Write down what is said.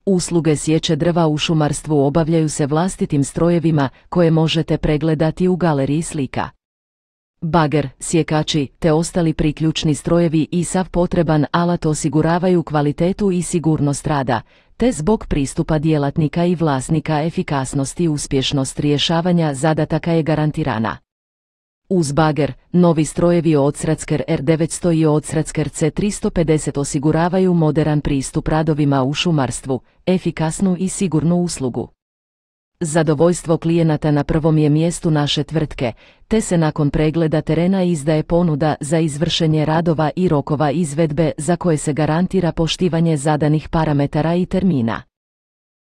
Usluge sječe drva u šumarstvu obavljaju se vlastitim strojevima koje možete pregledati u galeriji slika. Bager, sjekači te ostali priključni strojevi i sav potreban alat osiguravaju kvalitetu i sigurnost rada, te zbog pristupa djelatnika i vlasnika efikasnost i uspješnost rješavanja zadataka je garantirana. Uz bager, novi strojevi Odsratsker R900 i Odsratsker C350 osiguravaju moderan pristup radovima u šumarstvu, efikasnu i sigurnu uslugu. Zadovoljstvo klijenata na prvom je mjestu naše tvrtke, te se nakon pregleda terena izdaje ponuda za izvršenje radova i rokova izvedbe za koje se garantira poštivanje zadanih parametara i termina.